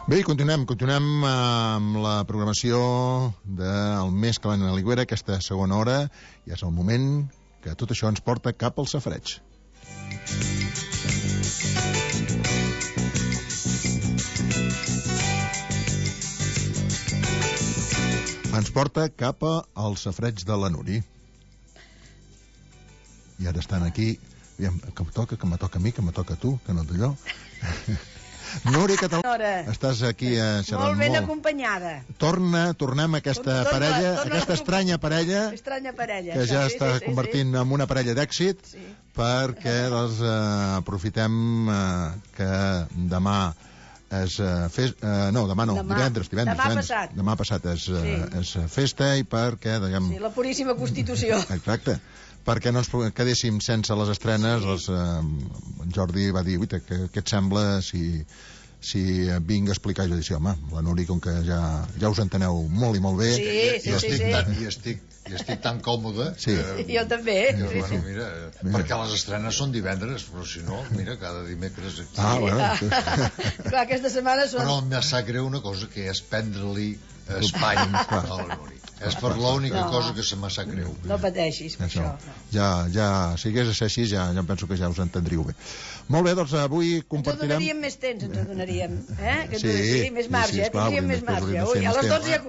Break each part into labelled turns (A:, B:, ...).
A: Bé, continuem amb la programació del Més que la Ligüera, aquesta segona hora, i és el moment que tot això ens porta cap al safareig. Ens porta cap al safareig de la Núria. I ara estan aquí, que me toca a mi, que me toca a tu, que no d'allò. Núria Català, estàs aquí xerrant molt.
B: Molt ben acompanyada.
A: Tornem a aquesta parella, aquesta estranya parella, que ja està convertint en una parella d'èxit, perquè aprofitem que demà és demà passat és festa, i perquè
B: la puríssima Constitució.
A: Exacte, perquè no ens quedéssim sense les estrenes. Jordi va dir, què et sembla si vinc a explicar? Jo dic, home, la Núria, com que ja us enteneu molt i molt bé,
C: i estic tan còmode
B: jo també,
C: mira, perquè les estrenes són divendres, però si no, mira, cada dimecres aquí.
B: Clar, aquesta setmana són...
C: Però em sap greu una cosa, que és prendre-li espai a la Núria. És per l'única cosa que se m'ha sap greu.
B: No pateixis per això.
A: Si hagués de ser així, ja penso que ja us entendríeu bé. Molt bé, doncs avui compartirem...
B: Ens donaríem més temps, més marge, tindríem més marge. Ui, a les 12 ja...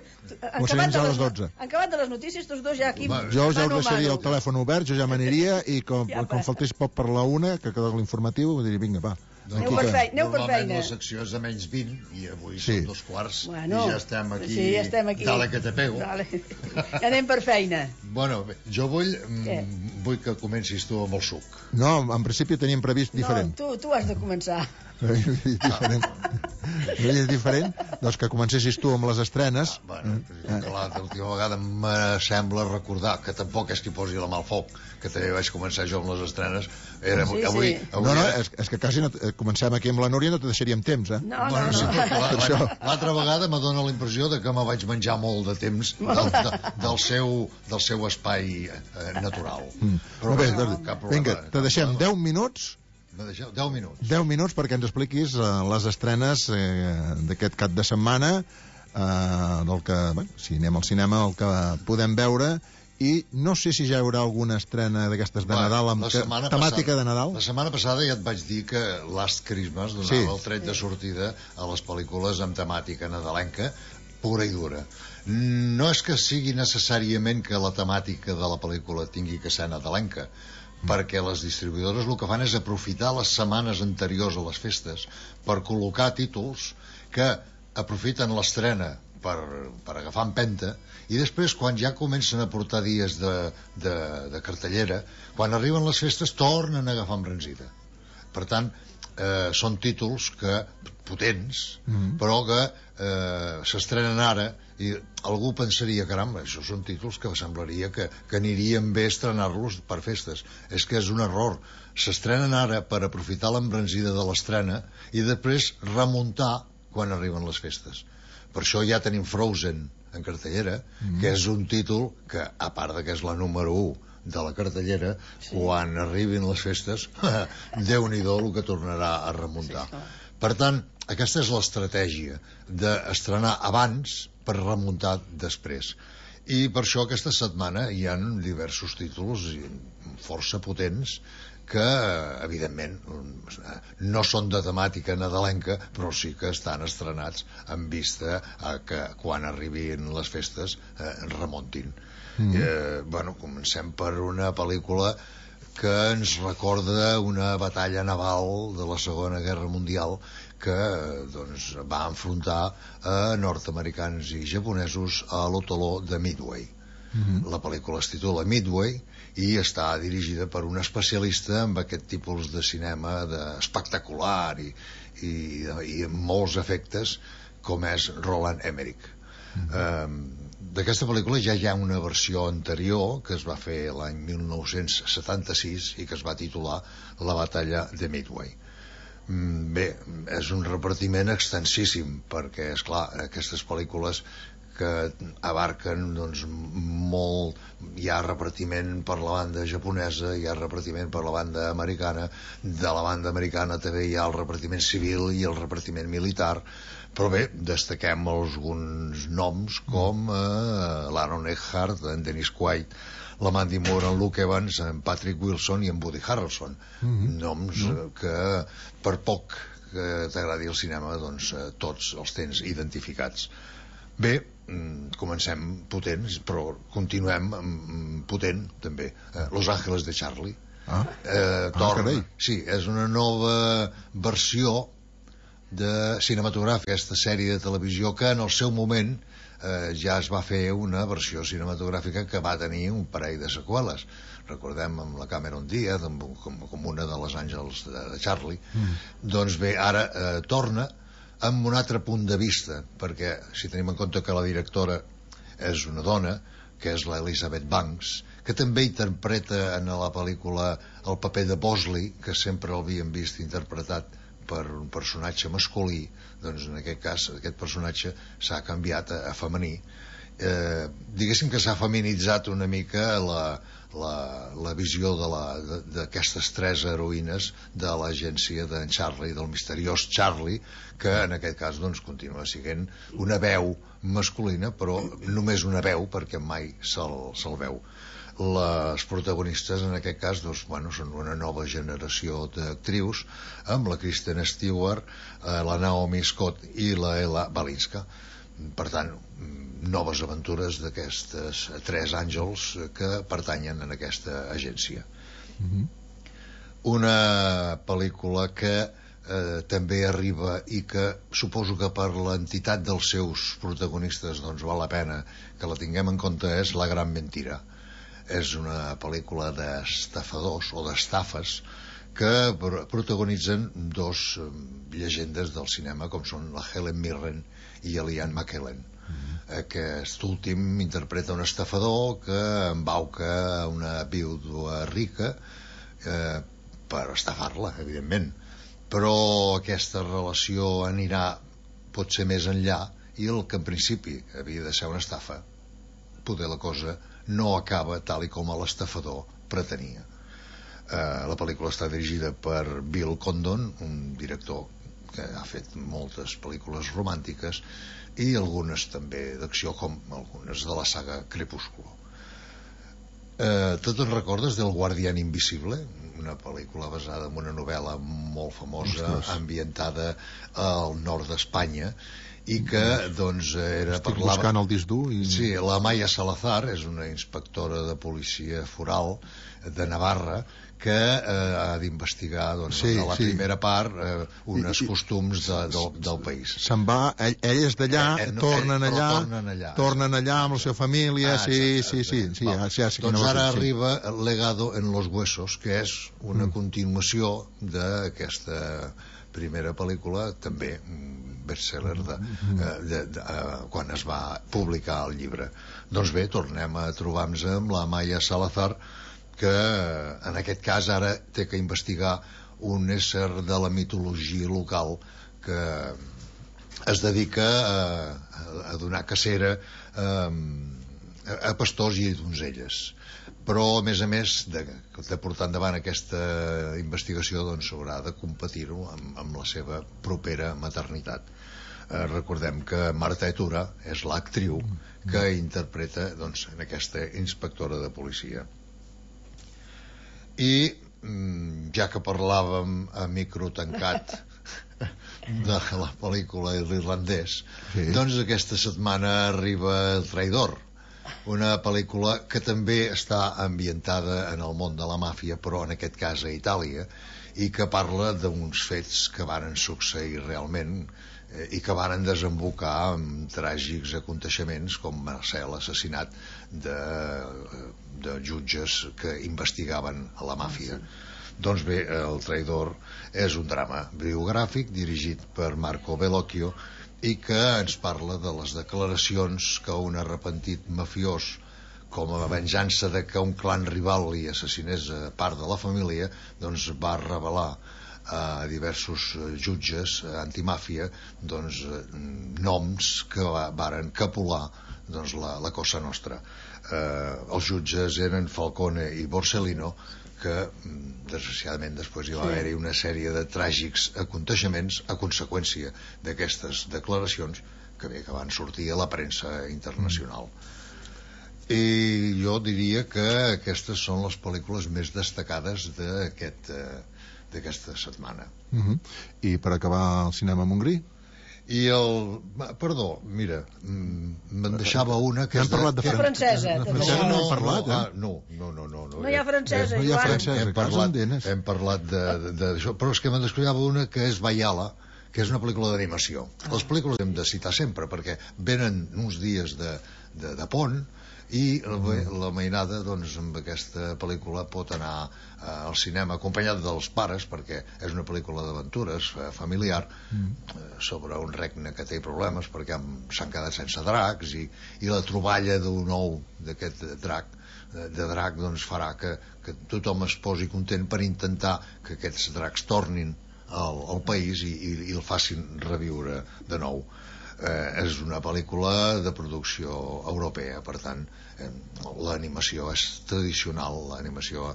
B: Han acabat de les notícies, tots dos ja aquí...
A: Jo ja us deixaria el telèfon obert, jo ja m'aniria, i com faltés poc per la una, que queda l'informatiu, diria, vinga, va.
B: Aneu per feina.
C: Normalment la secció és de menys 20 i avui són 2:15 i ja estem aquí. Dale que te pego.
B: Anem per feina.
C: Bueno, jo vull que comencis tu amb el suc.
A: No, en principi teníem previst diferent.
B: No, tu has de començar.
A: És diferent, doncs que comencessis tu amb les estrenes.
C: L'última vegada me sembla recordar que tampoc és que posi la mà al foc, que també vaig començar jo amb les estrenes.
A: És que quasi comencem aquí amb la Núria, no te deixaríem temps,
C: L'altra vegada me dóna la impressió de que me vaig menjar molt de temps del seu espai natural.
A: Vinga, te deixem 10 minuts 10 minuts perquè ens expliquis les estrenes d'aquest cap de setmana, del que, si anem al cinema, el que podem veure. I no sé si ja hi haurà alguna estrena d'aquestes de Nadal amb temàtica de Nadal.
C: La setmana passada ja et vaig dir que Last Christmas donava el tret de sortida a les pel·lícules amb temàtica nadalenca pura i dura. No és que sigui necessàriament que la temàtica de la pel·lícula tingui que ser nadalenca, perquè les distribuïdores el que fan és aprofitar les setmanes anteriors a les festes per col·locar títols que aprofiten l'estrena per agafar empenta, i després quan ja comencen a portar dies de cartellera, quan arriben les festes tornen a agafar embranzida. Per tant, són títols potents, però que s'estrenen ara, i algú pensaria, caramba, això són títols que semblaria que anirien bé estrenar-los per festes. És que és un error. S'estrenen ara per aprofitar l'embranzida de l'estrena i després remuntar quan arriben les festes. Per això ja tenim Frozen en cartellera, que és un títol que, a part de que és la número 1 de la cartellera, quan arribin les festes, Déu-n'hi-do el que tornarà a remuntar. Per tant, aquesta és l'estratègia d'estrenar abans per remuntar després. I per això aquesta setmana hi ha diversos títols força potents que, evidentment, no són de temàtica nadalenca, però sí que estan estrenats en vista a que quan arribin les festes remuntin. Comencem per una pel·lícula que ens recorda una batalla naval de la Segona Guerra Mundial que va enfrontar a nord-americans i japonesos a l'atol de Midway. La pel·lícula es titula Midway i està dirigida per un especialista en aquest tipus de cinema espectacular i amb molts efectes, com és Roland Emmerich. D'aquesta pel·lícula ja hi ha una versió anterior que es va fer l'any 1976 i que es va titular La batalla de Midway. Bé, és un repartiment extensíssim perquè, esclar, aquestes pel·lícules que abarquen doncs molt. Hi ha repartiment per la banda japonesa, hi ha repartiment per la banda americana, de la banda americana també hi ha el repartiment civil i el repartiment militar, però bé, destaquem alguns noms com l'Aaron Eckhart, en Dennis Quaid, la Mandy Moore, en Luke Evans, en Patrick Wilson i en Woody Harrelson, noms que per poc que t'agradi el cinema doncs tots els tens identificats. Bé, comencem potents, però continuem potent també. Los Ángeles de Charlie.
A: Carai.
C: Sí, és una nova versió de cinematogràfica, aquesta sèrie de televisió que en el seu moment ja es va fer una versió cinematogràfica que va tenir un parell de seqüeles. Recordem amb la Cameron Diaz com una de les Àngels de Charlie. Doncs bé, ara torna amb un altre punt de vista, perquè si tenim en compte que la directora és una dona, que és l'Elizabeth Banks, que també interpreta en la pel·lícula el paper de Bosley, que sempre l'havíem vist interpretat per un personatge masculí, doncs en aquest cas aquest personatge s'ha canviat a femení. Diguéssim que s'ha feminitzat una mica la visió d'aquestes tres heroïnes de l'agència d'en Charlie, del misteriós Charlie, que en aquest cas doncs continua sent una veu masculina, però només una veu, perquè mai se'l veu. Les protagonistes en aquest cas doncs, són una nova generació d'actrius, amb la Kristen Stewart, la Naomi Scott i la Ella Balinska. Per tant, noves aventures d'aquestes tres àngels que pertanyen a aquesta agència. Una pel·lícula que també arriba i que suposo que per l'entitat dels seus protagonistes doncs val la pena que la tinguem en compte, és La gran mentira. És una pel·lícula d'estafadors o d'estafes que protagonitzen dos llegendes del cinema com són la Helen Mirren i l'Ian McKellen. Aquest últim interpreta un estafador que embauca una vídua rica per estafar-la, evidentment, però aquesta relació anirà potser més enllà i el que en principi havia de ser una estafa, poder la cosa no acaba tal i com l'estafador pretenia. La pel·lícula està dirigida per Bill Condon, un director que ha fet moltes pel·lícules romàntiques i algunes també d'acció, com algunes de la saga Crepúsculo. Tu te'n recordes del Guardián Invisible? Una pel·lícula basada en una novel·la molt famosa, ambientada al nord d'Espanya, i que doncs
A: estic buscant el disc dur i...
C: Sí, la Maya Salazar és una inspectora de policia foral de Navarra que ha d'investigar doncs, a la primera part uns costums del país.
A: Se'n va, ell és d'allà, tornen allà amb la seva família.
C: Doncs ara arriba El legado en los huesos, que és una continuació d'aquesta primera pel·lícula, també bestseller quan es va publicar el llibre. Doncs bé, tornem a trobar-nos amb la Maya Salazar, que en aquest cas ara té que investigar un ésser de la mitologia local que es dedica a donar cacera a pastors i donzelles, però a més de portar endavant aquesta investigació doncs s'haurà de competir-ho amb la seva propera maternitat. Recordem que Marta Etura és l'actriu que interpreta doncs, en aquesta inspectora de policia. I ja que parlàvem a micro tancat de la pel·lícula L'Irlandès, doncs aquesta setmana arriba El traïdor, una pel·lícula que també està ambientada en el món de la màfia, però en aquest cas a Itàlia, i que parla d'uns fets que varen succeir realment i que varen desembocar en tràgics aconteixements com va ser l'assassinat de jutges que investigaven a la màfia. Doncs bé, El traïdor és un drama biogràfic dirigit per Marco Bellocchio i que ens parla de les declaracions que un arrepentit mafiós, com a venjança de que un clan rival li assassinés a part de la família, doncs va revelar a diversos jutges antimàfia noms que varen capolar la Cosa Nostra. Els jutges eren Falcone i Borsellino, que desgraciadament després hi va haver-hi una sèrie de tràgics aconteixements a conseqüència d'aquestes declaracions que van sortir a la premsa internacional. I jo diria que aquestes són les pel·lícules més destacades d'aquesta setmana.
A: I per acabar el cinema Montgrí?
C: Perdó, mira, me'n deixava una que
A: hem parlat de
B: francesa.
A: De francesa no hem parlat,
C: No.
B: No hi ha francesa,
C: Hem parlat d'això, però és que me'n descuidava una que és Bayala, que és una pel·lícula d'animació. Les pel·lícules hem de citar sempre, perquè venen uns dies de pont, i la mainada amb aquesta pel·lícula pot anar al cinema acompanyat dels pares, perquè és una pel·lícula d'aventures familiar sobre un regne que té problemes perquè s'han quedat sense dracs, i la troballa d'un ou d'aquest drac farà que tothom es posi content per intentar que aquests dracs tornin al país i el facin reviure de nou. És una pel·lícula de producció europea, per tant l'animació és tradicional, l'animació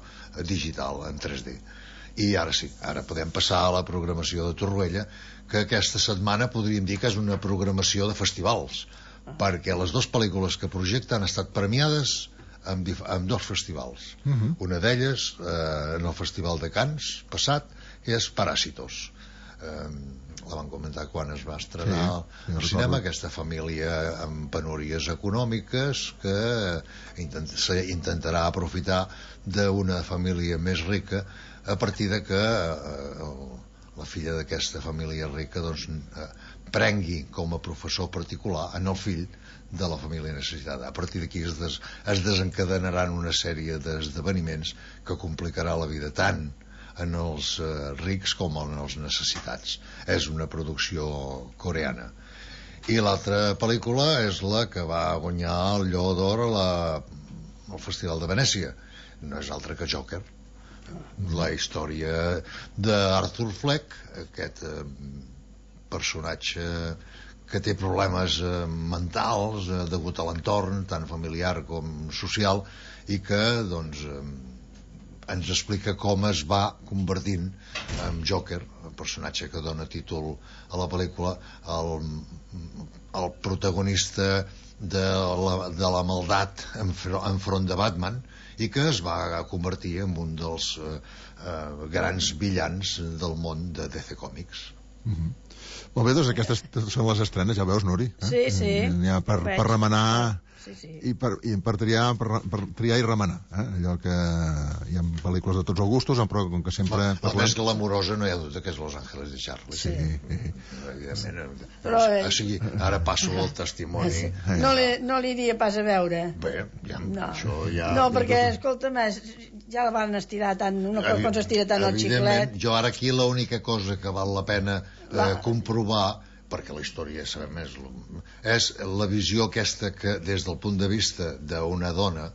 C: digital en 3D. I ara sí, ara podem passar a la programació de Torroella, que aquesta setmana podríem dir que és una programació de festivals, perquè les dues pel·lícules que projecta han estat premiades en dos festivals. Una d'elles en el Festival de Cannes passat, que és Parásitos. La van comentar quan es va estrenar al cinema, aquesta família amb penúries econòmiques que intentarà aprofitar d'una família més rica a partir de que la filla d'aquesta família rica prengui com a professor particular en el fill de la família necessitada. A partir d'aquí es desencadenaran una sèrie d'esdeveniments que complicarà la vida tant en els rics com en els necessitats. És una producció coreana. I l'altra pel·lícula és la que va guanyar el Lleó d'Or al Festival de Venècia. No és altra que Joker, la història d'Arthur Fleck, aquest personatge que té problemes mentals degut a l'entorn tant familiar com social, i que ens explica com es va convertint en Joker, el personatge que dona títol a la pel·lícula, el protagonista de la maldat enfront de Batman, i que es va convertir en un dels grans villans del món de DC Comics.
A: Molt bé, doncs aquestes són les estrenes, ja veus, Nuri?
B: Sí.
A: N'hi ha per remenar... I per triar i remenar, allò que hi ha pel·lícules de tots els gustos, però com que sempre
C: la més glamorosa no hi ha dubte que és Los Ángeles de Charlie, evidentment, però ara passo el testimoni.
B: No l'iria pas a veure.
C: Bé, això ja...
B: No, perquè, escolta'm, ja la van estirar tant, quan s'estira tant el xiclet.
C: Jo ara aquí l'única cosa que val la pena comprovar, perquè la història ja sabem és la visió aquesta que des del punt de vista d'una dona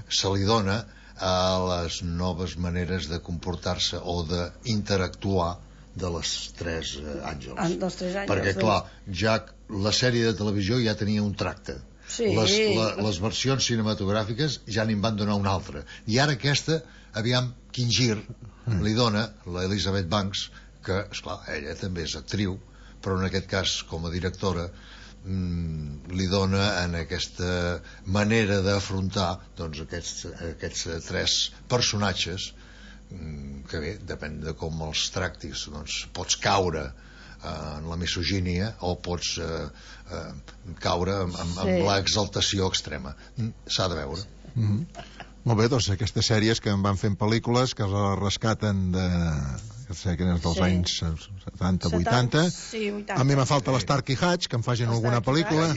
C: se li dona a les noves maneres de comportar-se o d'interactuar de les tres àngels. Perquè clar, ja la sèrie de televisió ja tenia un tracte, les versions cinematogràfiques ja n'hi van donar un altre, i ara aquesta, aviam quin gir li dona l'Elizabeth Banks, que esclar, ella també és actriu, però en aquest cas com a directora li dona en aquesta manera d'afrontar aquests tres personatges que bé, depèn de com els tractis, pots caure en la misogínia o pots caure amb l'exaltació extrema. S'ha de veure.
A: Molt bé, doncs aquestes sèries que en van fent pel·lícules que les rescaten dels anys 70-80. A mi me falta l'Starky Hatch, que em facin alguna pel·lícula.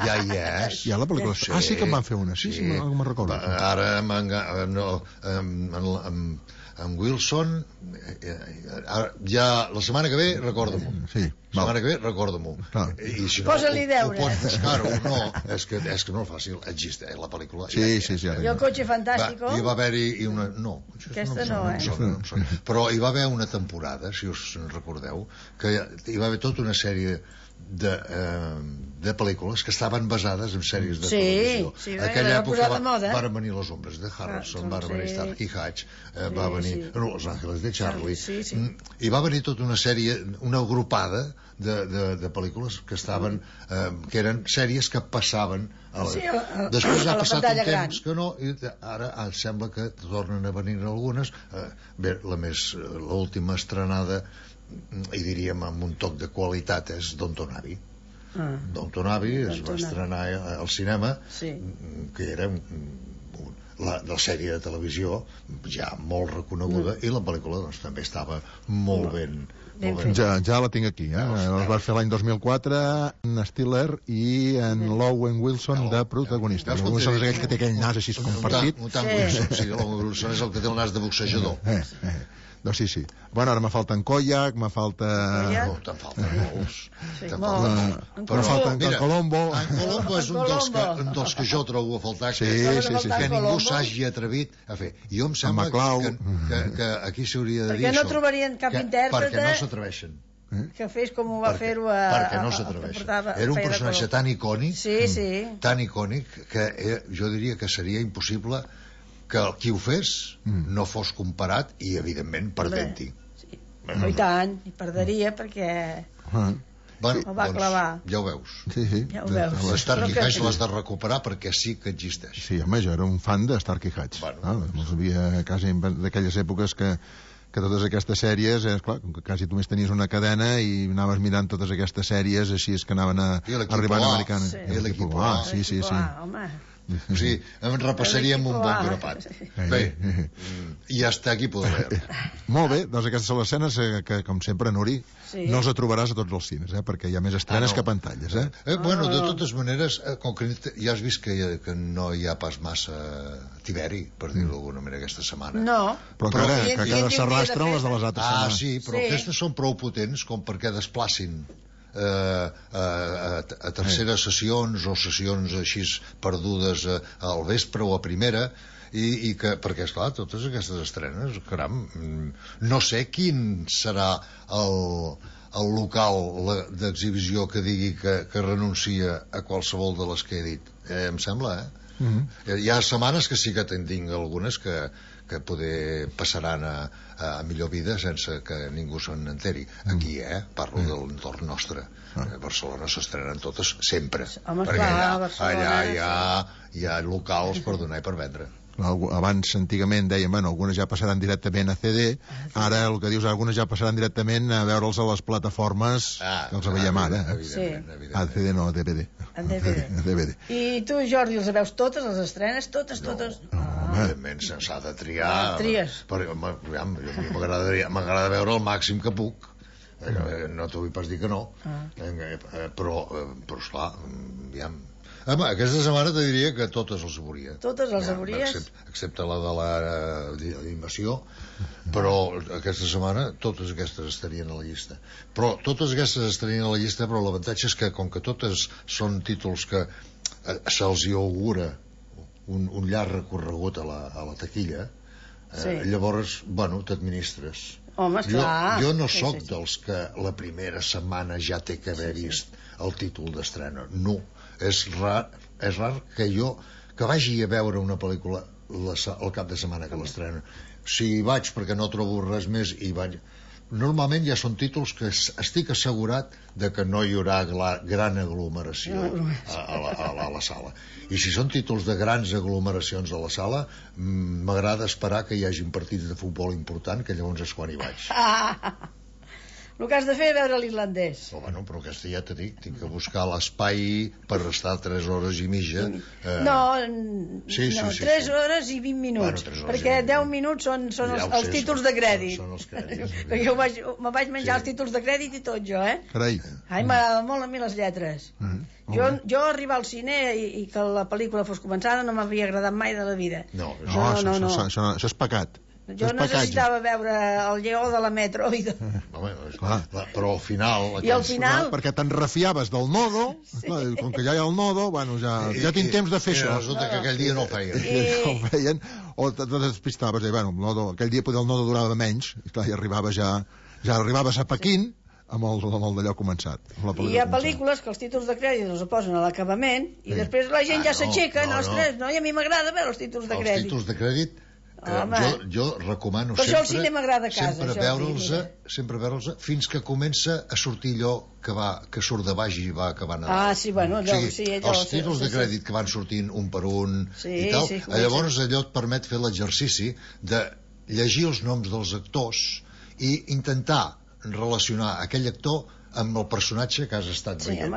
C: Ja hi és.
A: Hi ha la pel·lícula. Sí que em van fer una, sí, me'n recordo.
C: Ara amb Wilson ja la setmana que ve recorda-m'ho.
A: Sí.
C: setmana que ve, recorda-m'ho.
B: Posa-li deures.
C: Claro, no, és que no és fàcil. Existeix la pel·lícula.
A: Sí.
B: I el cotxe fantàstico.
C: Hi va haver-hi una... No,
B: aquesta no,
C: però hi va haver una temporada, si us recordeu, que hi va haver tota una sèrie de pel·lícules que estaven basades en sèries de televisió.
B: Sí,
C: aquella època van venir Les ombres de Harrelson, van venir Starsky Hutch, va venir Los Ángeles de Charlie, i va venir tota una sèrie, una agrupada de pel·lícules que estaven que eren sèries que passaven després ha passat un temps que no, i ara sembla que tornen a venir algunes. Bé, l'última estrenada, i diríem amb un toc de qualitat, és Downton Abbey. Downton Abbey es va estrenar al cinema, que era la sèrie de televisió ja molt reconeguda, i la pel·lícula doncs també estava molt ben
A: ja la tinc aquí, els vas fer l'any 2004 en Stiller i en Owen Wilson de protagonista. Owen Wilson és aquell que té aquell nas així compartit.
C: Owen Wilson és el que té el nas de boxejador.
A: Doncs sí. Bueno, ara me falten Koyak, me falta...
C: No, te'n falten molts.
A: Me falten Colombo.
C: En Colombo és un dels que jo trobo a faltar, que ningú s'hagi atrevit a fer. Jo em sembla que aquí s'hauria de dir
B: això. Perquè no trobarien cap intèrprete...
C: Perquè no s'atreveixen.
B: Que fes com ho va fer-ho a...
C: Perquè no s'atreveixen. Era un personatge tan icònic, tan icònic, que jo diria que seria impossible que qui ho fes no fos comparat i, evidentment, perdent-hi.
B: I tant, i perderia perquè ho va clavar.
C: Ja ho veus.
B: Ja ho veus.
C: L'Starkey Hatch l'has de recuperar perquè sí que existeix.
A: Sí, home, jo era un fan de Starkey Hatch. No sabia quasi d'aquelles èpoques que totes aquestes sèries, clar, quasi tu més tenies una cadena i anaves mirant totes aquestes sèries, així és que anaven arribant americanes.
C: I l'equip A.
A: Sí.
B: Home...
C: O sigui, en repassaríem un bon grapat. Bé, i hasta aquí podem veure.
A: Molt bé, doncs aquestes són les escenes que, com sempre, Nuri, no els trobaràs a tots els cines, perquè hi ha més estrenes que pantalles.
C: Bueno, de totes maneres, com que ja has vist que no hi ha pas massa tiberi, per dir-ho d'alguna manera, aquesta setmana.
B: No.
A: Però que cada s'arrastren les de les altres setmanes.
C: Sí, però aquestes són prou potents com perquè desplacin a terceres sessions o sessions així perdudes al vespre o a primera, i que, perquè esclar, totes aquestes estrenes, caram, no sé quin serà el local d'exhibició que digui que renuncia a qualsevol de les que he dit. Em sembla, Hi ha setmanes que sí que en tinc algunes que poder passaran a millor vida sense que ningú se'n enteri. Aquí, parlo de l'entorn nostre. A Barcelona s'estrenen totes sempre. Perquè allà hi ha locals per donar i per vendre.
A: Abans, antigament, dèiem, algunes ja passaran directament a CD, ara el que dius, algunes ja passaran directament a veure'ls a les plataformes que els veiem ara.
C: Evidentment.
A: A CD no, a DVD.
B: A DVD. I tu, Jordi, els veus totes, les estrenes, totes?
C: Evidentment, s'ha de triar.
B: Tries.
C: M'agrada veure el màxim que puc. No t'ho vull pas dir que no. Però esclar, aviam. Home, aquesta setmana te diria que totes les veuria.
B: Totes les veuries?
C: Excepte la de l'animació, però aquesta setmana totes aquestes estarien a la llista. Però totes aquestes estarien a la llista, però l'avantatge és que, com que totes són títols que se'ls hi augura un llarg recorregut a la taquilla, llavors, t'administres.
B: Home, esclar.
C: Jo no sóc dels que la primera setmana ja té que haver vist el títol d'estrena. No. És rar que jo vagi a veure una pel·lícula el cap de setmana que l'estrena. Si hi vaig perquè no trobo res més i vaig... Normalment ja són títols que estic assegurat de que no hi haurà gran aglomeració a la sala. I si són títols de grans aglomeracions a la sala, m'agrada esperar que hi hagin partits de futbol important, que llavors és quan hi vaig.
B: El que has de fer és veure l'irlandès.
C: Però aquesta ja t'he dit, tinc que buscar l'espai per estar 3 hores i mitja.
B: No, 3 hores i 20 minuts, perquè 10 minuts són els títols de crèdit.
C: Són els crèdits.
B: Perquè me vaig menjar els títols de crèdit i tot jo,
A: Carai.
B: M'agrada molt a mi les lletres. Jo arribar al cine i que la pel·lícula fos començada no m'havia agradat mai de la vida.
A: No, això és pecat.
B: Jo necessitava veure el lleó de la Metro.
C: Però al final...
B: I al final...
A: Perquè te'n refiaves del nodo, com que ja hi ha el nodo, bueno, ja tinc temps de fer això.
C: Resulta que aquell dia no el feien.
A: O te despistaves, bueno, aquell dia el nodo durava menys, i clar, ja arribaves a Pequín amb el d'allò començat.
B: I hi ha pel·lícules que els títols de crèdit els posen a l'acabament i després la gent ja s'aixeca, i a mi m'agrada veure els títols de crèdit.
C: Els títols de crèdit jo recomano
B: per això el cinema agrada a casa,
C: sempre veure'ls fins que comença a sortir allò que surt de baix i va acabant els títols de crèdit que van sortint un per un i tal, llavors allò et permet fer l'exercici de llegir els noms dels actors i intentar relacionar aquell actor amb el personatge que has estat veient.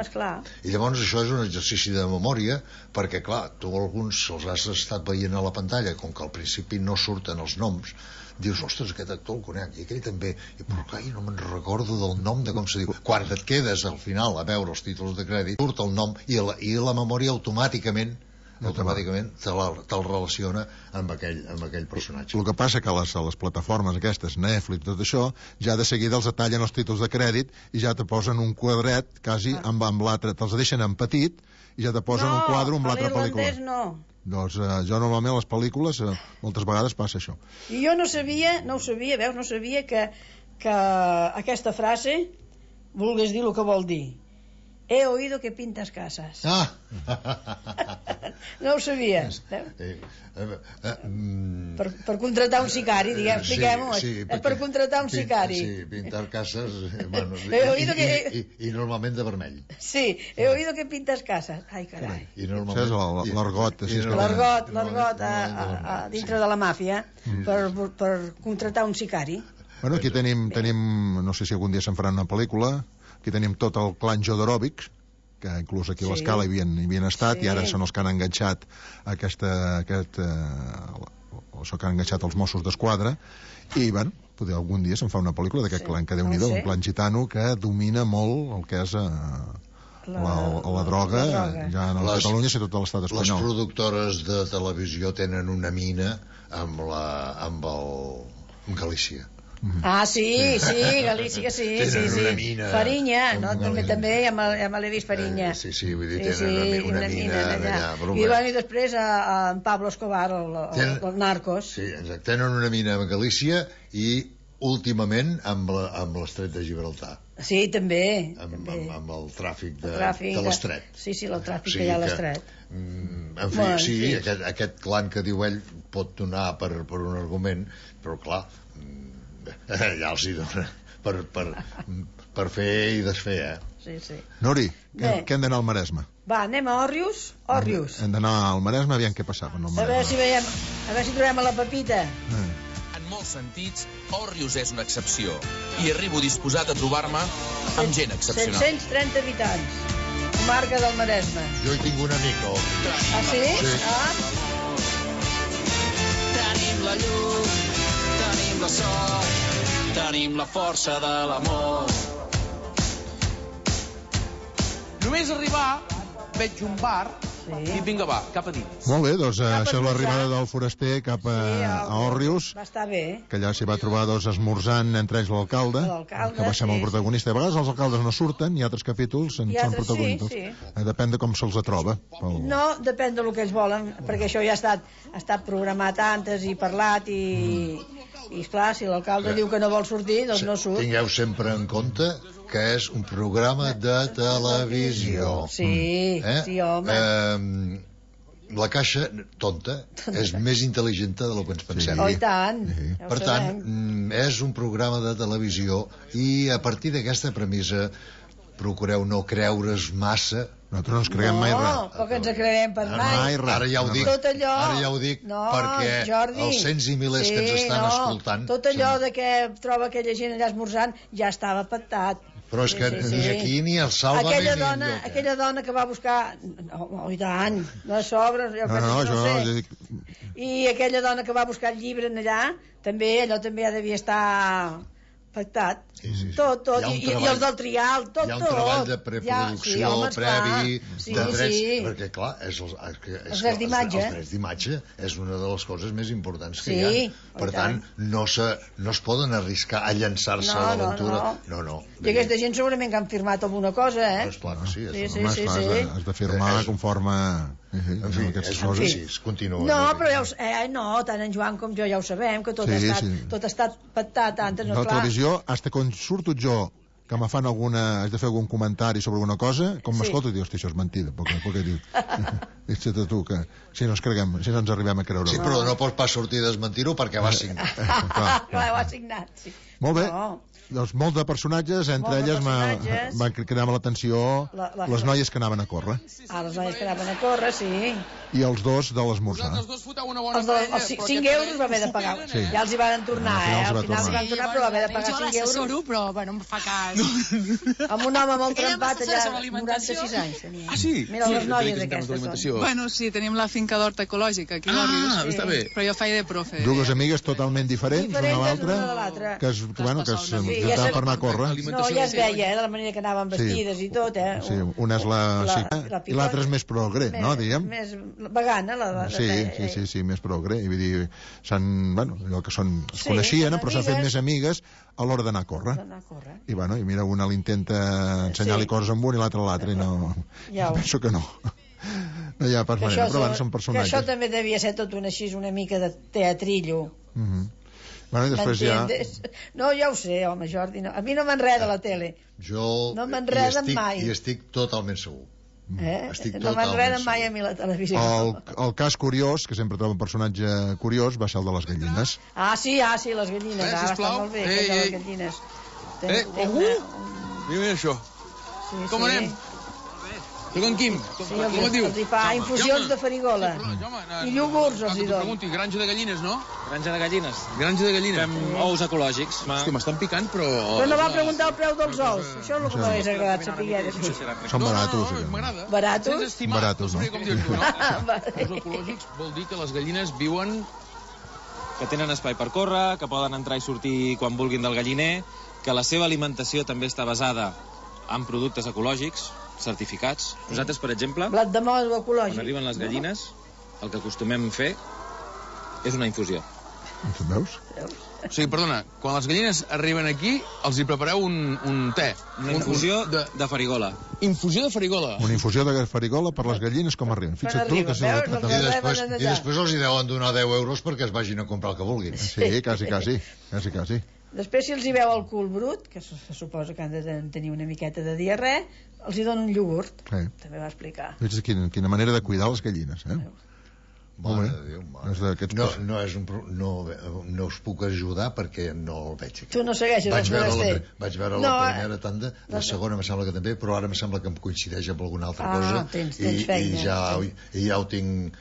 C: I llavors això és un exercici de memòria, perquè clar, tu alguns els has estat veient a la pantalla, com que al principi no surten els noms, dius, ostres, aquest actor el conec, i aquell també, però clar, no me'n recordo del nom de com se diu. Quan et quedes al final a veure els títols de crèdit, surt el nom i la memòria automàticament te'l relaciona amb aquell personatge.
A: El que passa que a les plataformes aquestes, Netflix, tot això, ja de seguida els detallen els títols de crèdit i ja te posen un quadret quasi amb l'altre, te'ls deixen en petit i ja te posen un quadre amb l'altra pel·lícula. Doncs jo normalment a les pel·lícules moltes vegades passa això.
B: I jo no sabia que aquesta frase volgués dir el que vol dir. He oído que pintas casas. No ho sabia. Per contratar un sicari, expliquem-ho. És per contratar un sicari.
C: Sí, pintar cases i normalment de vermell.
B: Sí, he oído que pintas casas. Ai, carai.
A: L'argot.
B: L'argot dintre de la màfia per contratar un sicari.
A: Bueno, aquí tenim, no sé si algun dia se'n farà una pel·lícula. Aquí tenim tot el clan Jodorowsky, que inclús aquí a l'Escala hi havien estat, i ara són els que han enganxat això que han enganxat els Mossos d'Esquadra, i bueno, algun dia se'n fa una pel·lícula d'aquest clan, que Déu-n'hi-do, un clan gitano que domina molt el que és la droga, ja no a Catalunya, sinó tot l'estat espanyol.
C: Les productores de televisió tenen una mina amb Galícia.
B: Sí, Galícia, sí. Farinya, no? També ja me l'he vist Farinya.
C: Sí, vull dir, tenen una mina
B: allà. I després en Pablo Escobar, el Narcos.
C: Sí, exacte, tenen una mina a Galícia i últimament amb l'estret de Gibraltar.
B: Sí, també.
C: Amb el tràfic de l'estret.
B: Sí, el tràfic que hi ha a l'estret.
C: En fi, sí, aquest clan que diu ell pot donar per un argument, però clar, ja els hi dona per fer i desfer,
B: Sí.
A: Nori, que hem d'anar al Maresme.
B: Va, anem a Òrrius.
A: Hem d'anar al Maresme, aviam què passava.
B: A veure si trobem a la Pepita.
D: En molts sentits, Òrrius és una excepció i arribo disposat a trobar-me amb gent excepcional.
B: 730 habitants, comarca del Maresme.
C: Jo hi tinc una mica, Òrrius.
B: Ah, sí?
D: Tenim la llum, tenim la sort, tenim la força de l'amor. Només arribar, veig un bar i vinga, va, cap a dins.
A: Molt bé, doncs això és l'arribada del foraster cap a Òrrius.
B: Va estar bé.
A: Que allà s'hi va trobar esmorzant entre ells l'alcalde, que va ser el protagonista. A vegades els alcaldes no surten i altres capítols són protagonistes. Depèn de com se'ls troba.
B: No, depèn del que ells volen, perquè això ja ha estat programat antes i parlat i esclar, si l'alcalde diu que no vol sortir, doncs no surt.
C: Tingueu sempre en compte que és un programa de televisió.
B: Sí, home.
C: La caixa, tonta, és més intel·ligent del que ens pensem.
B: Oh, i tant.
C: Per tant, és un programa de televisió i a partir d'aquesta premissa procureu no creure's massa.
A: Nosaltres no ens creiem mai res.
B: No, però que ens creiem per mai.
C: Ara ja ho dic, perquè els cents i milers que ens estan escoltant...
B: Tot allò de que troba aquella gent allà esmorzant ja estava pactat.
C: Però és que ni aquí ni el Salva
B: aquella dona que va buscar i tant, no sobres i aquella dona que va buscar el llibre allà allò també ja devia estar pactat. Tot. I els del trial, tot.
C: Hi ha un treball de preproducció, previ, de drets, perquè, clar, els drets d'imatge és una de les coses més importants que hi ha. Per tant, no es poden arriscar a llançar-se a l'aventura. No.
B: I aquesta gent segurament que han firmat alguna cosa,
C: Clar que sí.
A: Has de firmar conforme...
C: En fi, continua.
B: No, però tant en Joan com jo ja ho sabem, que tot ha estat pactat antes.
A: La televisió, fins quan surto jo que me fan haig de fer algun comentari sobre alguna cosa, com m'escolto i dius, això és mentida, poc he dit. Fixa't tu, que si no ens arribem a creure.
C: Sí, però no pots pas sortir a desmentir-ho perquè va signar.
B: Clar, ho ha signat, sí.
A: Molt bé. Doncs molts de personatges, entre elles van cridar l'atenció les noies que anaven a córrer.
B: Les noies que anaven a córrer, sí.
A: I els dos de l'esmorzar.
B: Els 5 euros va haver de pagar. Ja els hi van tornar, al final van tornar, però va haver de pagar 5 euros.
E: Jo l'assessoro, però bueno, em fa cas.
B: Amb un home molt trempat allà, 96 anys tenia.
D: Ah, sí?
B: Mira les noies aquestes.
E: Bueno, sí, tenim la finca d'horta ecològica aquí a l'Òrrius.
D: Està bé.
E: Però jo feia de profe.
A: Dues amigues totalment diferents, una de l'altra, que intentaven per anar a córrer.
B: No, ja es veia, de la manera que anaven vestides i tot,
A: Sí, una és la xica i l'altra és més progre, no, diguem?
B: Més vegana, la
A: Sí, més progre. I vull dir, allò que són, es coneixien, però s'han fet més amigues a l'hora d'anar a córrer. I mira, una li intenta ensenyar-li coses amb un i l'altra a l'altre, i no... Penso que no. No hi ha pas manera, però són personatges.
B: Que això també devia ser tot una mica de teatrillo.
A: I després
B: No, ja ho sé, home, Jordi, a mi no m'enreda la tele. No m'enreda mai.
C: I estic totalment segur.
B: No m'enreda mai a mi la televisió.
A: El cas curiós, que sempre troba un personatge curiós, va ser el de les gallines.
B: Sí, les gallines. Va estar molt bé, aquell de les gallines.
D: Mira això. Com anem? Soc en Quim.
B: Com et diu? Els hi fa infusions de farigola. I iogurts els hi dona.
D: Pregunti, granja de gallines, no?
F: Granja de gallines.
D: Granja de gallines.
F: Fem ous ecològics.
D: Hòstia, m'estan picant, però...
B: Però no va preguntar el preu dels ous. Això és el que m'hagués agradat saber.
A: Són baratos.
D: M'agrada.
B: Baratos?
D: Sense estimar.
A: Baratos, no?
D: Com dius tu, no? Els ecològics vol dir que les gallines viuen...
F: Que tenen espai per córrer, que poden entrar i sortir quan vulguin del galliner, que la seva alimentació també està basada en productes ecològics, certificats. Nosaltres, per exemple,
B: blat de moro ecològic.
F: Quan arriben les gallines, el que acostumem fer és una infusió.
A: Veus?
D: O sigui, perdona, quan les gallines arriben aquí, els hi prepareu un te.
F: Una infusió de farigola.
D: Infusió de farigola.
A: Una infusió de farigola per les gallines com arriben. Fixa't tu que
C: I després els hi deuen donar 10 euros perquè es vagin a comprar el que vulguin.
A: Sí, quasi.
B: Després, si els hi veu el cul brut, que se suposa que han de tenir una miqueta de diarrea, els hi dona un iogurt. També va explicar.
A: Veig quina manera de cuidar les gallines,
C: Mare de Déu, no us puc ajudar perquè no el veig aquí.
B: Tu no segueixes els forasters.
C: Vaig veure la primera tanda, la segona me sembla que també, però ara me sembla que em coincideix amb alguna altra cosa.
B: Tens feina.
C: I ja ho tinc...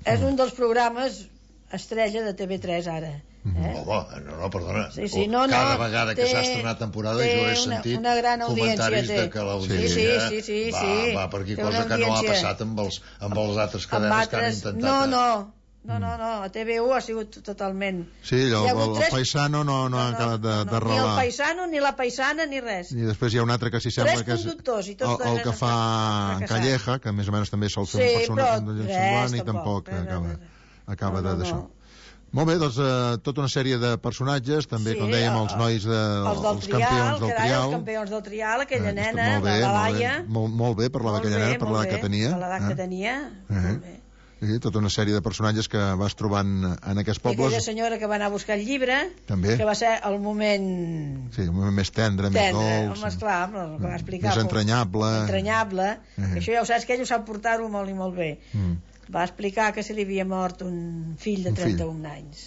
B: És un dels programes estrella de TV3 ara.
C: No, perdona.
B: Cada
C: vegada que s'ha estrenat temporada jo he sentit comentaris de que l'audiència va per aquí, cosa que no ha passat amb els altres cadenes que han intentat.
B: No, a TV1 ha sigut totalment...
A: Sí, el paisano no ha acabat de relar.
B: Ni el paisano, ni la paisana, ni res.
A: I després hi ha un altre que s'hi sembla que és el que fa Calleja, que més o menys també sol fer un personatge semblant i tampoc acaba d'això. Molt bé, doncs tota una sèrie de personatges, també, com dèiem, els nois els campions del trial.
B: Els campions del trial, aquella nena, la Laia.
A: Molt bé, per aquella nena, per l'edat que tenia.
B: Per l'edat que tenia, molt bé.
A: Sí, tota una sèrie de personatges que vas trobant en aquests pobles.
B: I aquella senyora que va anar a buscar el llibre,
A: també,
B: que va ser el moment...
A: Sí, el moment més tendre, més dolç.
B: Més clar, el que va explicar.
A: Més entranyable.
B: Que això ja ho saps, que ell ho sap portar-ho molt i molt bé. Va explicar que se li havia mort un fill de 31 anys.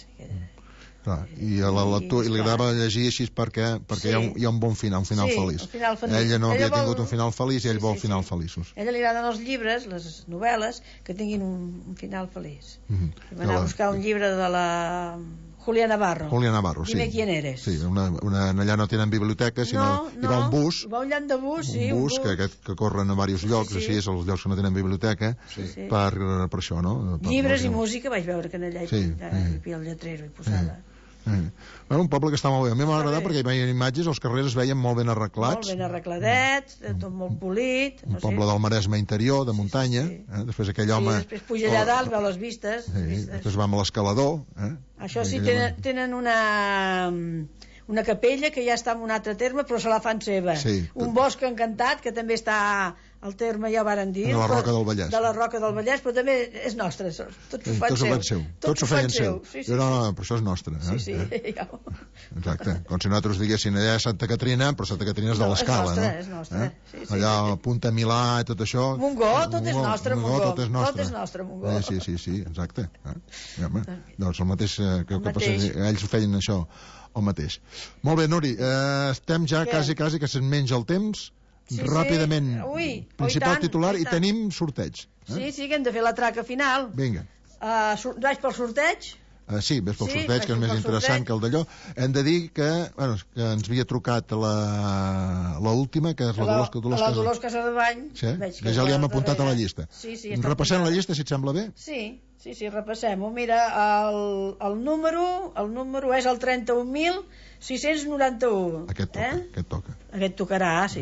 A: I a la lectura li agradava llegir així perquè hi ha un bon final, un final feliç. Ella no havia tingut un final feliç i ell vol finals feliços.
B: A ella li agraden els llibres, les novel·les, que tinguin un final feliç. Va anar a buscar un llibre de la Julia Navarro,
A: sí.
B: Dime quién eres.
A: Sí, allà no tenen biblioteca, sinó hi va un bus.
B: Va un llant de bus, sí.
A: Un bus que corren a diversos llocs, així és, els llocs que no tenen biblioteca, per això, no?
B: Llibres i música, vaig veure que allà hi havia el lletrero i posada.
A: Un poble que està molt bé. A mi m'ha agradat perquè hi veien imatges, els carrers es veien molt ben arreglats.
B: Molt ben arregladets, tot molt polit.
A: Un poble del Maresme interior, de muntanya. Després aquell home...
B: Sí, després puja allà dalt, veu les vistes.
A: Després va amb l'escalador.
B: Això sí, tenen una capella que ja està en un altre terme, però se la fan seva. Un bosc encantat, que també està al terme, ja ho varen dir.
A: De la Roca del Vallès.
B: De la Roca del Vallès, però també és nostre. Tots ho fan seu.
A: Tots ho feien seu. No, però això és nostre.
B: Sí.
A: Exacte. Com si nosaltres diguessin allà Santa Caterina, però Santa Caterina és de l'Escala, no?
B: És nostre.
A: Allà a Punta Milà i tot això.
B: Montgó, tot és nostre, Montgó.
A: Tot és nostre,
B: Montgó.
A: Sí, exacte. Doncs el mateix que ells feien això, el mateix. Molt bé, Nuri, estem ja quasi que se'n menja el temps. Ràpidament, principal titular, i tenim sorteig.
B: Sí, que hem de fer la traca final.
A: Vinga.
B: Vaig pel sorteig?
A: Sí, ves pel sorteig, que és més interessant que el d'allò. Hem de dir que ens havia trucat l'última, que és la
B: Dolors Casadevall.
A: Que ja li hem apuntat a la llista. Repassem la llista, si et sembla bé?
B: Sí, repassem-ho. Mira, el número és el 31.691.
A: Aquest toca.
B: Aquest tocarà, sí.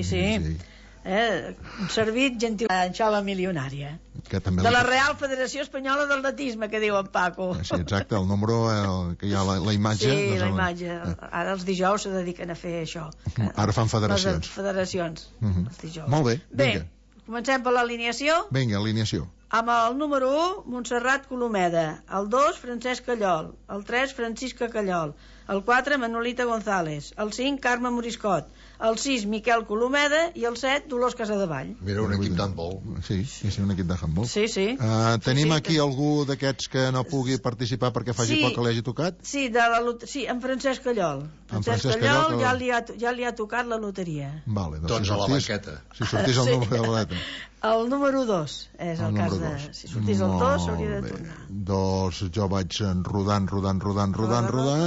B: Un servit gentil a la milionària. De la Real Federació Espanyola d'Atletisme, que diu en Paco.
A: Sí, exacte, el número, que hi ha la imatge.
B: Sí, la imatge. Ara els dijous se dediquen a fer això.
A: Ara fan federacions.
B: Les federacions, els dijous.
A: Molt bé, vinga.
B: Bé, comencem per l'alineació.
A: Vinga, alineació.
B: Amb el número 1, Montserrat Colomeda. El 2, Francesc Callol. El 3, Francisca Callol. El 4, Manolita González. El 5, Carme Moriscot. El 6, Miquel Colomeda. I el 7, Dolors Casadevall.
C: Mira, un equip d'handbol.
A: Sí, un equip de handbol.
B: Sí.
A: Tenim aquí algú d'aquests que no pugui participar perquè faci poc que li hagi tocat?
B: Sí, en Francesc Callol. Francesc Callol ja li ha tocat la loteria.
A: Vale,
C: doncs a la banqueta.
A: Si sortís el número de la banqueta.
B: El número 2 és el cas de... Si sortís el 2 s'hauria de tornar.
A: Doncs jo vaig rodant,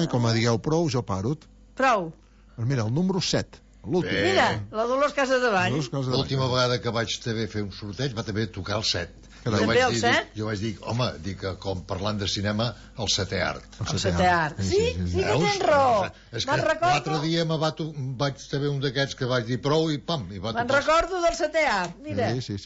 A: i com a digueu prou, jo paro.
B: Prou.
A: Mira, el número 7.
B: Mira, la Dolors Casadevall.
C: L'última vegada que vaig també fer un sorteig va també tocar el 7.
B: També el 7?
C: Jo vaig dir, home, com parlant de cinema, el setè art.
B: El setè art. Sí, que tens raó.
C: És que l'altre dia vaig també un d'aquests que vaig dir prou i pam, i va tocar.
B: Me'n recordo del setè art, mira.
A: Sí.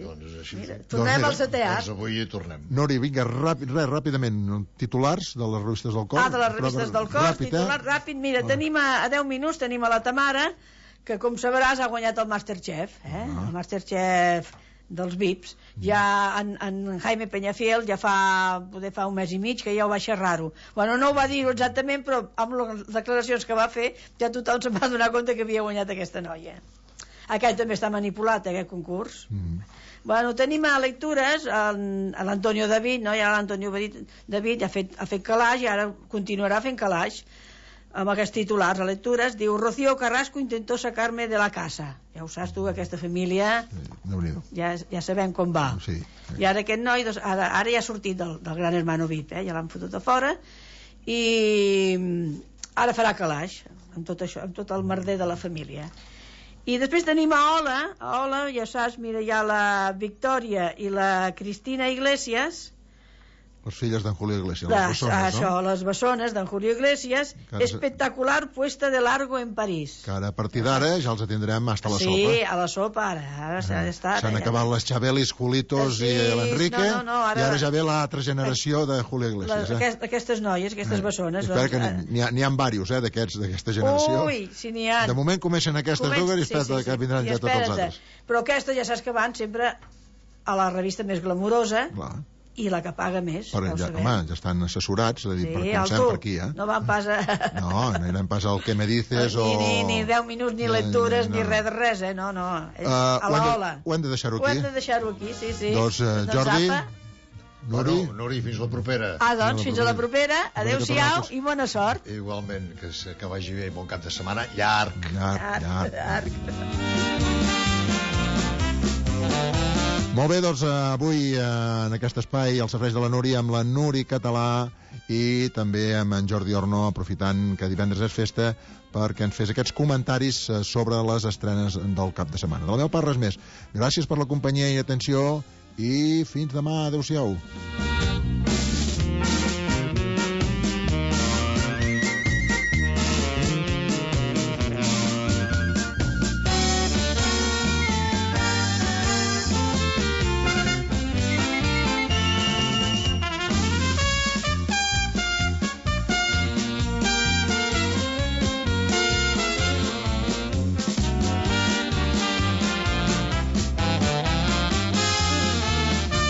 C: Doncs així.
B: Tornem al setè art.
C: Doncs avui hi tornem.
A: Nori, vinga, ràpidament, titulars de les revistes del cor.
B: De les revistes del cor, titular ràpid. Mira, tenim a 10 minuts, tenim a la Tamara, que com sabràs ha guanyat el Masterchef, el Masterchef dels VIPs. Ja en Jaime Peñafiel ja fa un mes i mig que ja ho va xerrar-ho. Bueno, no ho va dir exactament, però amb les declaracions que va fer ja tothom se'n va donar compte que havia guanyat aquesta noia. Aquest també està manipulat, aquest concurs. Bueno, tenim a lectures l'Antonio David, no? Ja l'Antonio David ha fet calaix i ara continuarà fent calaix amb aquests titulars a lectures. Diu, Rocío Carrasco intentó sacarme de la casa. Ja ho saps tu, aquesta família ja sabem com va. I ara aquest noi ara ja ha sortit del Gran Hermano VIP, ja l'han fotut a fora i ara farà calaix amb tot això, amb tot el merder de la família. I després tenim a Ola, ja saps, mira, hi ha la Victòria i la Cristina Iglesias,
A: les filles d'en Julio Iglesias, les bessones, no?
B: Les bessones d'en Julio Iglesias, espectacular puesta de largo en París.
A: Que ara, a partir d'ara, ja els atendrem hasta la sopa.
B: Sí, a la sopa, ara
A: s'han acabat les Chabelis, Julitos i l'Enrique, i ara ja ve l'altra generació de Julio Iglesias.
B: Aquestes noies, aquestes bessones.
A: Espera que n'hi ha diversos, d'aquesta generació.
B: Ui, si n'hi ha.
A: De moment comencen aquestes dues i espera't que vindran ja tots els altres.
B: Però aquesta ja saps que van sempre a la revista més glamurosa, i la que paga més,
A: ja estan assessorats, comencem per aquí,
B: no van pas a...
A: no anirem pas al que me dices
B: ni 10 minuts, ni lectures, ni res, no, a l'Ola.
A: Ho hem de deixar-ho aquí?
B: Ho hem de deixar-ho aquí, sí.
A: Doncs, Jordi,
C: Nori, fins la propera.
B: Doncs, fins a la propera, adeu-siau i bona sort.
C: Igualment, que vagi bé, bon cap de setmana, llarg.
A: Molt bé, doncs avui en aquest espai als serveis de la Núria amb la Nuri Català i també amb en Jordi Orno, aprofitant que divendres és festa, perquè ens fes aquests comentaris sobre les estrenes del cap de setmana. De la meva part res més. Gràcies per la companyia i atenció i fins demà. Adéu-siau.